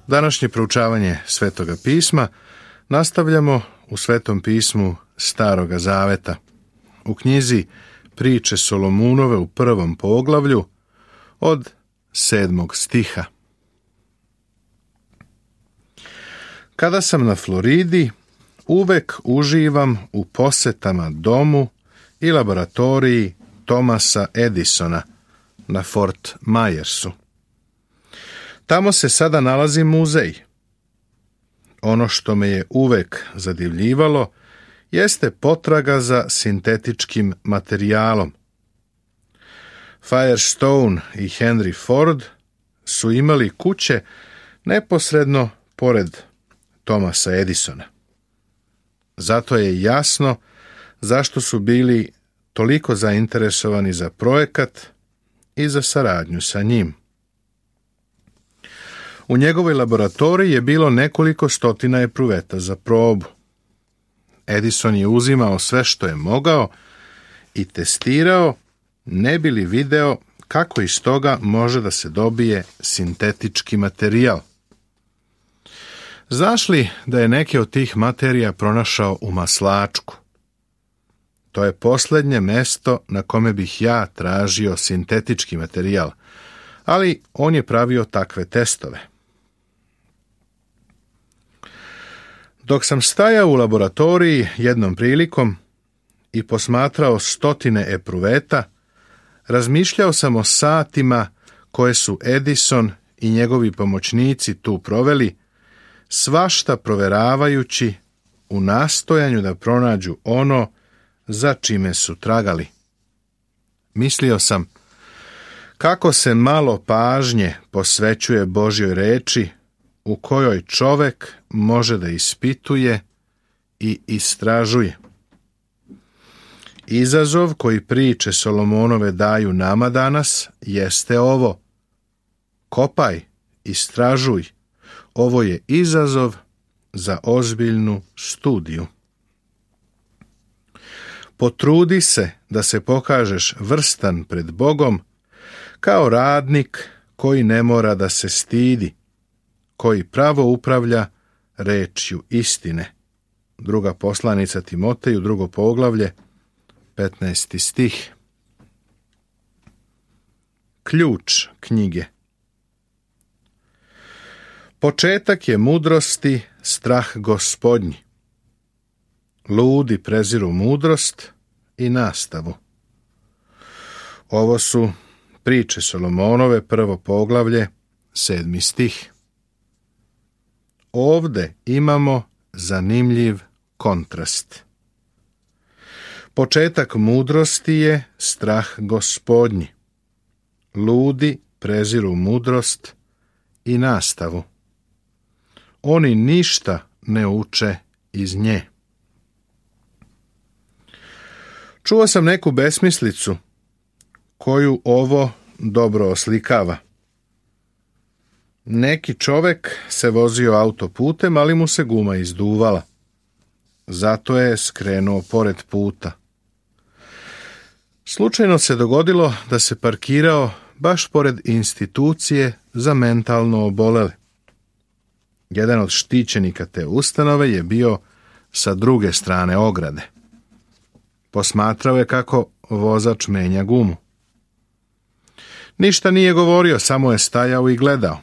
Današnje proučavanje Svetoga pisma nastavljamo u Svetom pismu Staroga Zaveta, u knjizi Priče Solomunove u 1. poglavlju od 7. stiha. Kada sam na Floridi, uvek uživam u posetama domu i laboratoriji Thomasa Edisona na Fort Myersu. Tamo se sada nalazi muzej. Ono što me je uvek zadivljivalo jeste potraga za sintetičkim materijalom. Firestone i Henry Ford su imali kuće neposredno pored Thomasa Edisona. Zato je jasno zašto su bili toliko zainteresovani za projekat i za saradnju sa njim. U njegovoj laboratoriji je bilo nekoliko stotina epruveta za probu. Edison je uzimao sve što je mogao i testirao, ne bi li video kako iz toga može da se dobije sintetički materijal. Znaš li da je neke od tih materija pronašao u maslačku? To je posljednje mesto na kome bih ja tražio sintetički materijal, ali on je pravio takve testove. Dok sam stajao u laboratoriji jednom prilikom i posmatrao stotine epruveta, razmišljao sam o satima koje su Edison i njegovi pomoćnici tu proveli, svašta proveravajući u nastojanju da pronađu ono za čime su tragali. Mislio sam, kako se malo pažnje posvećuje Božjoj reči, u kojoj čovek može da ispituje i istražuje. Izazov koji priče Solomonove daju nama danas jeste ovo. Kopaj, istražuj. Ovo je izazov za ozbiljnu studiju. Potrudi se da se pokažeš vrstan pred Bogom kao radnik koji ne mora da se stidi, koji pravo upravlja rečju istine. Druga poslanica Timoteju, 2. poglavlje, 15. stih. Ključ knjige. Početak je mudrosti strah Gospodnji. Ludi preziru mudrost i nastavu. Ovo su priče Solomonove, 1. poglavlje, 7. stih. Ovde imamo zanimljiv kontrast. Početak mudrosti je strah Gospodnji. Ludi preziru mudrost i nastavu. Oni ništa ne uče iz nje. Čuo sam neku besmislicu koju ovo dobro oslikava. Neki čovek se vozio autoputem, ali mu se guma izduvala. Zato je skrenuo pored puta. Slučajno se dogodilo da se parkirao baš pored institucije za mentalno obolele. Jedan od štićenika te ustanove je bio sa druge strane ograde. Posmatrao je kako vozač menja gumu. Ništa nije govorio, samo je stajao i gledao.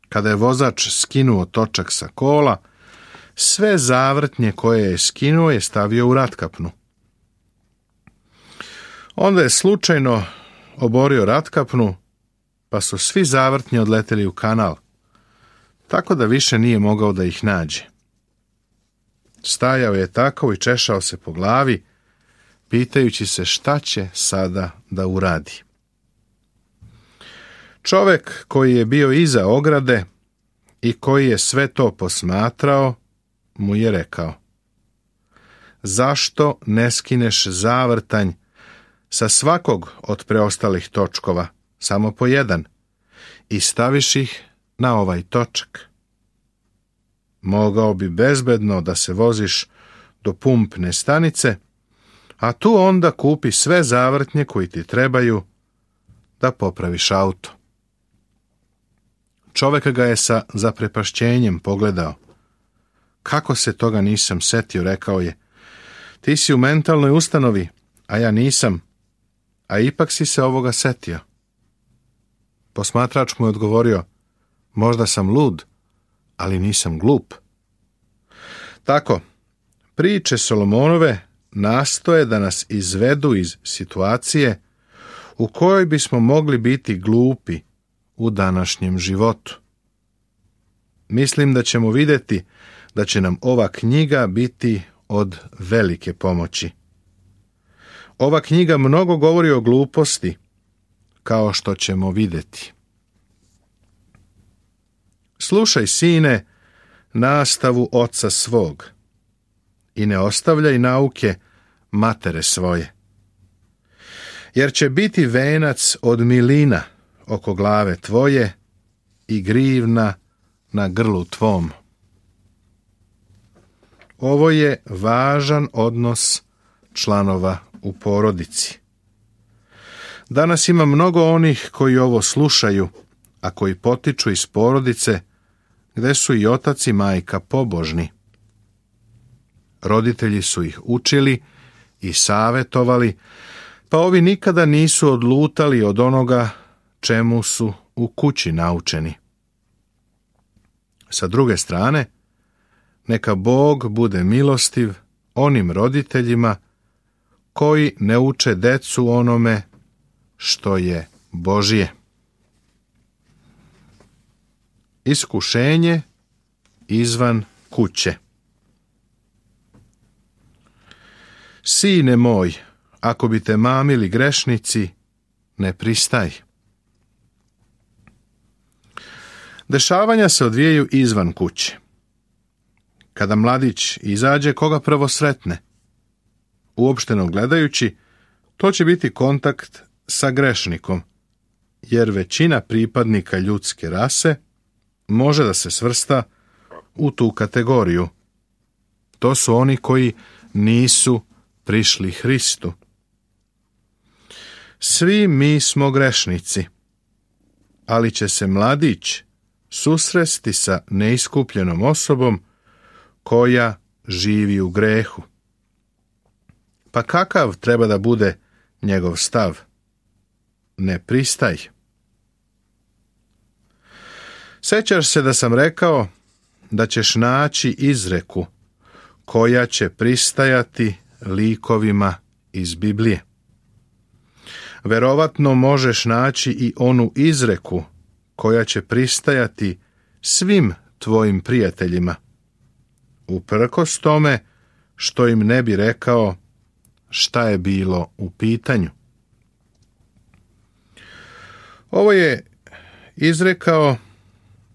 Kada je vozač skinuo točak sa kola, sve zavrtnje koje je skinuo je stavio u ratkapnu. Onda je slučajno oborio ratkapnu, pa su svi zavrtnje odleteli u kanal, tako da više nije mogao da ih nađe. Stajao je tako i češao se po glavi, pitajući se šta će sada da uradi. Čovek koji je bio iza ograde i koji je sve to posmatrao, mu je rekao: zašto ne skineš zavrtanj sa svakog od preostalih točkova, samo po jedan, i staviš ih na ovaj točak? Mogao bi bezbedno da se voziš do pumpne stanice, a tu onda kupi sve zavrtnje koji ti trebaju da popraviš auto. Čovjek ga je sa zaprepašćenjem pogledao. Kako se toga nisam setio, rekao je. Ti si u mentalnoj ustanovi, a ja nisam, a ipak si se ovoga setio. Posmatrač mu je odgovorio, možda sam lud, ali nisam glup. Tako, priče Solomonove nastoje da nas izvedu iz situacije u kojoj bismo mogli biti glupi u današnjem životu. Mislim da ćemo vidjeti da će nam ova knjiga biti od velike pomoći. Ova knjiga mnogo govori o gluposti, kao što ćemo vidjeti. Slušaj, sine, nastavu oca svog i ne ostavljaj nauke matere svoje. Jer će biti venac od milina oko glave tvoje i grivna na grlu tvom. Ovo je važan odnos članova u porodici. Danas ima mnogo onih koji ovo slušaju, a koji potiču iz porodice gdje su i otac i majka pobožni. Roditelji su ih učili i savjetovali, pa ovi nikada nisu odlutali od onoga čemu su u kući naučeni. Sa druge strane, neka Bog bude milostiv onim roditeljima koji ne uče decu onome što je Božje. Iskušenje izvan kuće. Sine moj, ako bi te mamili grešnici, ne pristaj. Dešavanja se odvijaju izvan kuće. Kada mladić izađe, koga prvo sretne? Uopšteno gledajući, to će biti kontakt sa grešnikom, jer većina pripadnika ljudske rase može da se svrsta u tu kategoriju. To su oni koji nisu prišli Hristu. Svi mi smo grešnici, ali će se mladić susresti sa neiskupljenom osobom koja živi u grehu. Pa kakav treba da bude njegov stav? Ne pristaj. Sećaš se da sam rekao da ćeš naći izreku koja će pristajati likovima iz Biblije. Verovatno možeš naći i onu izreku koja će pristajati svim tvojim prijateljima, uprkos tome što im ne bi rekao šta je bilo u pitanju. Ovo je izrekao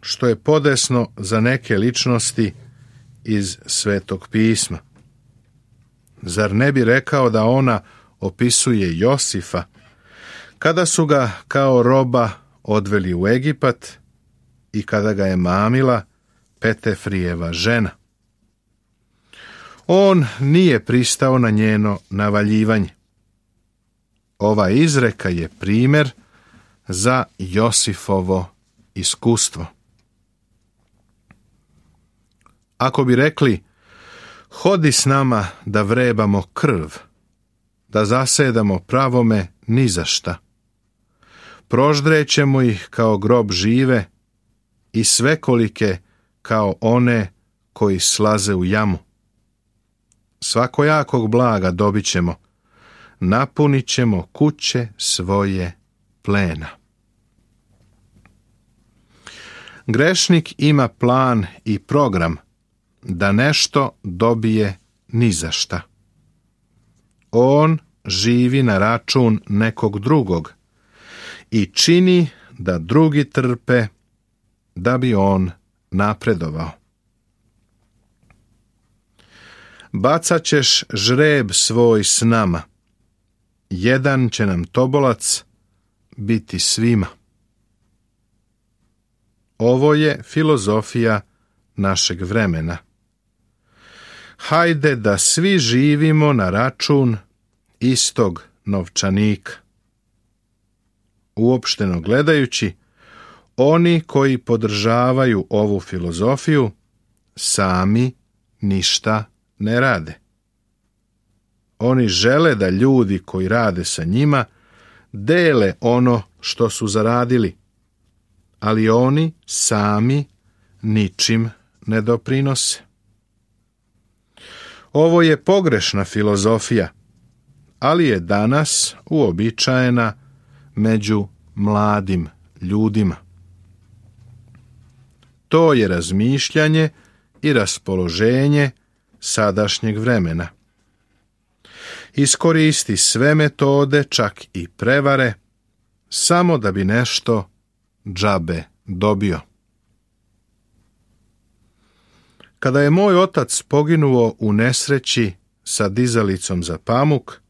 što je podesno za neke ličnosti iz Svetog pisma. Zar ne bi rekao da ona opisuje Josifa, kada su ga kao roba odveli u Egipat i kada ga je mamila Petefrijeva žena? On nije pristao na njeno navaljivanje. Ova izreka je primjer za Josifovo iskustvo. Ako bi rekli, hodi s nama da vrebamo krv, da zasedamo pravome ni za šta, proždrećemo ih kao grob žive i svekolike kao one koji slaze u jamu. Svakojakog blaga dobit ćemo, napunit ćemo kuće svoje plena. Grešnik ima plan i program da nešto dobije ni za šta. On živi na račun nekog drugog i čini da drugi trpe da bi on napredovao. Bacat ćeš žreb svoj s nama, jedan će nam tobolac biti svima. Ovo je filozofija našeg vremena. Hajde da svi živimo na račun istog novčanika. Uopšteno gledajući, oni koji podržavaju ovu filozofiju sami ništa ne rade. Oni žele da ljudi koji rade sa njima dele ono što su zaradili, ali oni sami ničim ne doprinose. Ovo je pogrešna filozofija, ali je danas uobičajena među mladim ljudima. To je razmišljanje i raspoloženje sadašnjeg vremena. Iskoristi sve metode, čak i prevare, samo da bi nešto džabe dobio. Kada je moj otac poginuo u nesreći sa dizalicom za pamuk,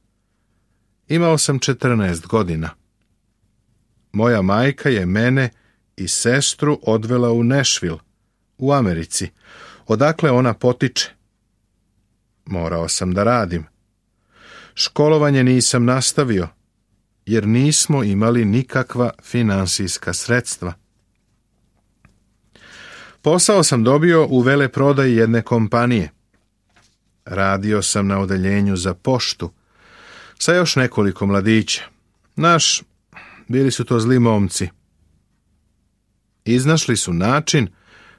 imao sam 14 godina. Moja majka je mene i sestru odvela u Nashville, u Americi, odakle ona potiče. Morao sam da radim. Školovanje nisam nastavio, jer nismo imali nikakva finansijska sredstva. Posao sam dobio u veleprodaji jedne kompanije. Radio sam na odeljenju za poštu sa još nekoliko mladića. Bili su to zli momci. Iznašli su način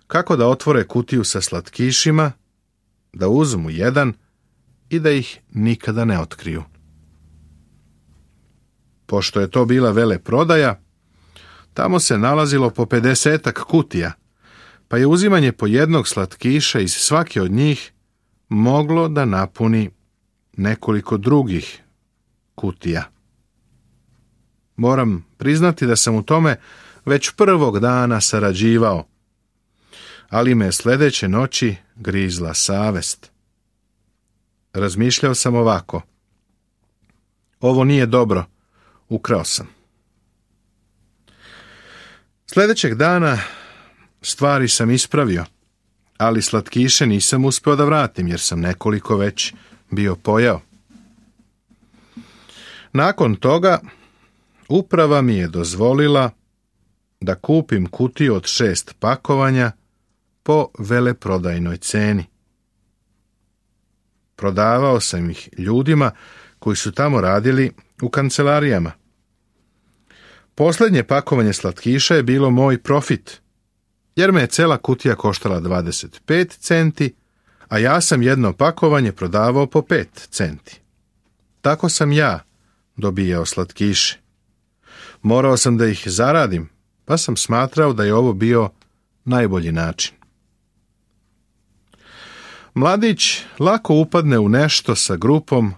kako da otvore kutiju sa slatkišima, da uzmu jedan i da ih nikada ne otkriju. Pošto je to bila veleprodaja, tamo se nalazilo po 50-ak kutija, pa je uzimanje po jednog slatkiša iz svake od njih moglo da napuni nekoliko drugih kutija. Moram priznati da sam u tome već prvog dana sarađivao, ali me sljedeće noći grizla savest. Razmišljao sam ovako: ovo nije dobro, ukrao sam. Sljedećeg dana stvari sam ispravio, ali slatkiše nisam uspio da vratim jer sam nekoliko već bio pojeo. Nakon toga uprava mi je dozvolila da kupim kutiju od 6 pakovanja po veleprodajnoj ceni. Prodavao sam ih ljudima koji su tamo radili u kancelarijama. Posljednje pakovanje slatkiša je bilo moj profit, jer me je cela kutija koštala 25 centi, a ja sam jedno pakovanje prodavao po 5 centi. Tako sam ja dobijao slatkiše. Morao sam da ih zaradim, pa sam smatrao da je ovo bio najbolji način. Mladić lako upadne u nešto sa grupom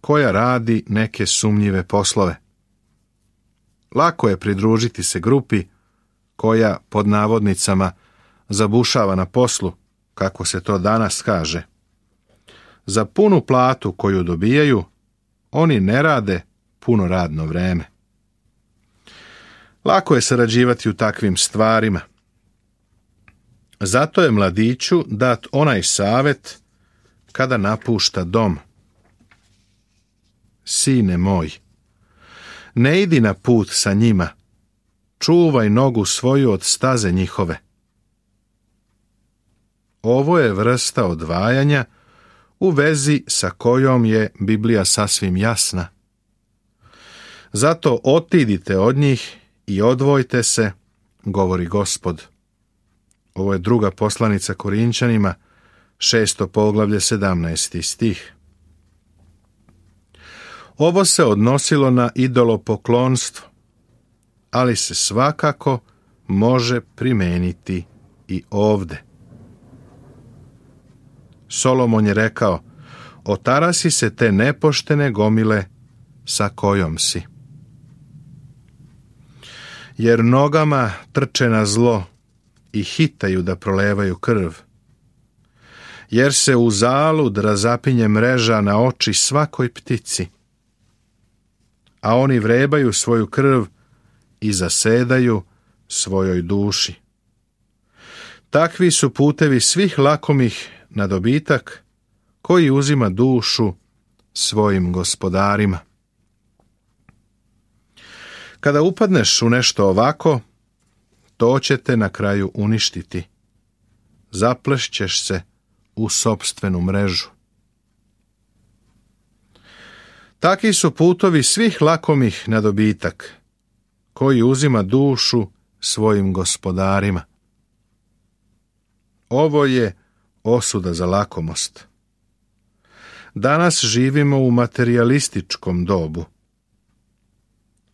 koja radi neke sumnjive poslove. Lako je pridružiti se grupi koja, pod navodnicama, zabušava na poslu, kako se to danas kaže. Za punu platu koju dobijaju, oni ne rade puno radno vreme. Lako je sarađivati u takvim stvarima. Zato je mladiću dat onaj savjet kada napušta dom. Sine moj, ne idi na put sa njima, čuvaj nogu svoju od staze njihove. Ovo je vrsta odvajanja u vezi sa kojom je Biblija sasvim jasna. Zato otidite od njih i odvojte se, govori Gospod. Ovo je druga poslanica Korinčanima, 6. poglavlje, 17. stih. Ovo se odnosilo na idolopoklonstvo, ali se svakako može primeniti i ovde. Solomon je rekao: otarasi se te nepoštene gomile sa kojom si. Jer nogama trče na zlo i hitaju da prolevaju krv. Jer se uzalud razapinje mreža na oči svakoj ptici. A oni vrebaju svoju krv i zasedaju svojoj duši. Takvi su putevi svih lakomih na dobitak, koji uzima dušu svojim gospodarima. Kada upadneš u nešto ovako, to će te na kraju uništiti. Zaplešćeš se u sopstvenu mrežu. Taki su putovi svih lakomih na dobitak, koji uzima dušu svojim gospodarima. Ovo je osuda za lakomost. Danas živimo u materijalističkom dobu.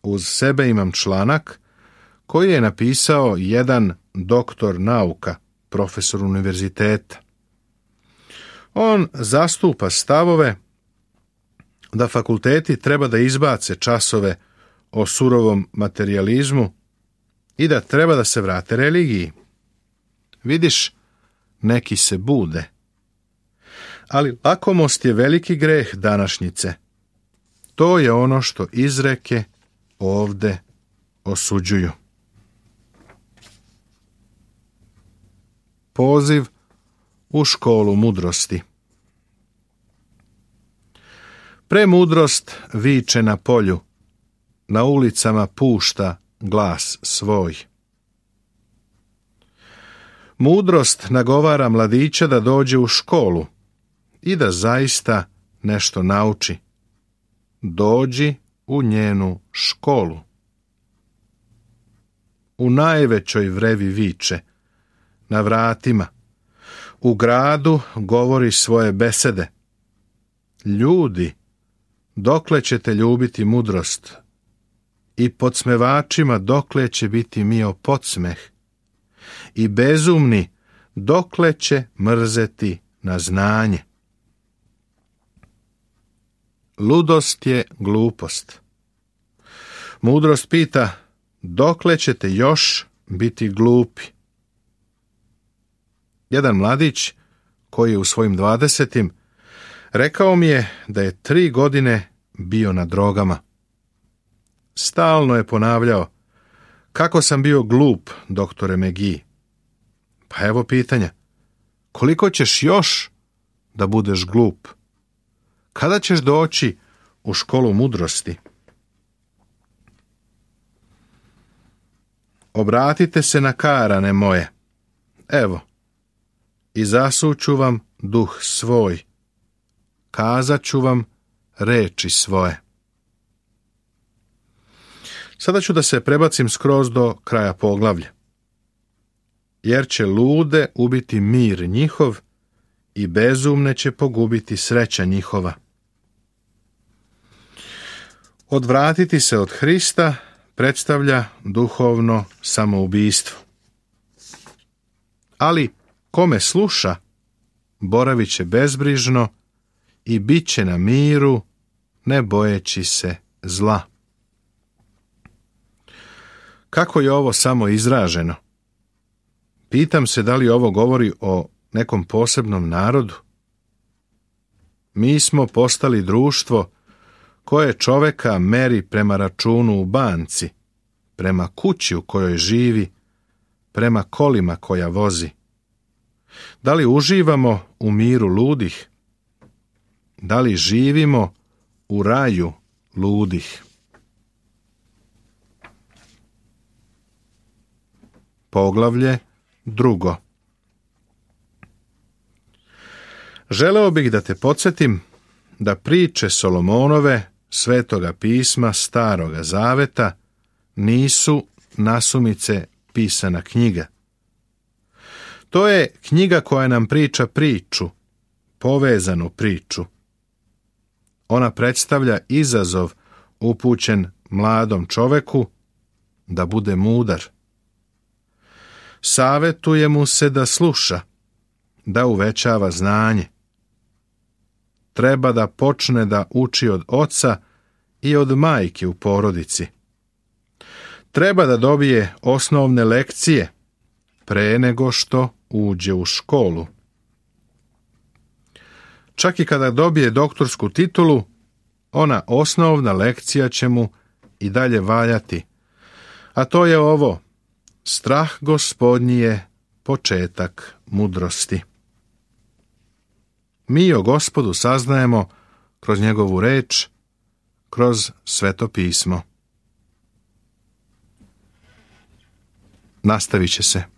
Uz sebe imam članak koji je napisao jedan doktor nauka, profesor univerziteta. On zastupa stavove da fakulteti treba da izbace časove o surovom materijalizmu i da treba da se vrate religiji. Vidiš, neki se bude. Ali lakomost je veliki greh današnjice. To je ono što izreke ovde osuđuju. Poziv u školu mudrosti. Premudrost viče na polju, na ulicama pušta glas svoj. Mudrost nagovara mladića da dođe u školu i da zaista nešto nauči. Dođi u njenu školu. U najvećoj vrevi viče, na vratima, u gradu govori svoje besede. Ljudi, dokle ćete ljubiti mudrost? I podsmevačima dokle će biti mio podsmeh? I bezumni dokle će mrzeti na znanje? Ludost je glupost. Mudrost pita, dokle ćete još biti glupi? Jedan mladić, koji je u svojim 20. rekao mi je da je 3 godine bio na drogama. Stalno je ponavljao, kako sam bio glup, doktore McGee. Pa evo pitanja, koliko ćeš još da budeš glup? Kada ćeš doći u školu mudrosti? Obratite se na karane moje. Evo, i zasuću vam duh svoj. Kazat ću vam reči svoje. Sada ću da se prebacim skroz do kraja poglavlja. Jer će lude ubiti mir njihov i bezumne će pogubiti sreća njihova. Odvratiti se od Hrista predstavlja duhovno samoubistvo. Ali kome sluša, boravit će bezbrižno i bit će na miru, ne bojeći se zla. Kako je ovo samo izraženo? Pitam se da li ovo govori o nekom posebnom narodu? Mi smo postali društvo koje čoveka meri prema računu u banci, prema kući u kojoj živi, prema kolima koja vozi. Da li uživamo u miru ludih? Da li živimo u raju ludih? Poglavlje 2. Želeo bih da te podsjetim da priče Solomonove, Svetoga pisma, Staroga zaveta, nisu nasumice pisana knjiga. To je knjiga koja nam priča priču, povezanu priču. Ona predstavlja izazov upućen mladom čoveku da bude mudar. Savetuje mu se da sluša, da uvećava znanje. Treba da počne da uči od oca i od majke u porodici. Treba da dobije osnovne lekcije pre nego što uđe u školu. Čak i kada dobije doktorsku titulu, ona osnovna lekcija će mu i dalje valjati. A to je ovo: strah Gospodnji je početak mudrosti. Mi o Gospodu saznajemo kroz njegovu reč, kroz Sveto pismo. nastavit će se.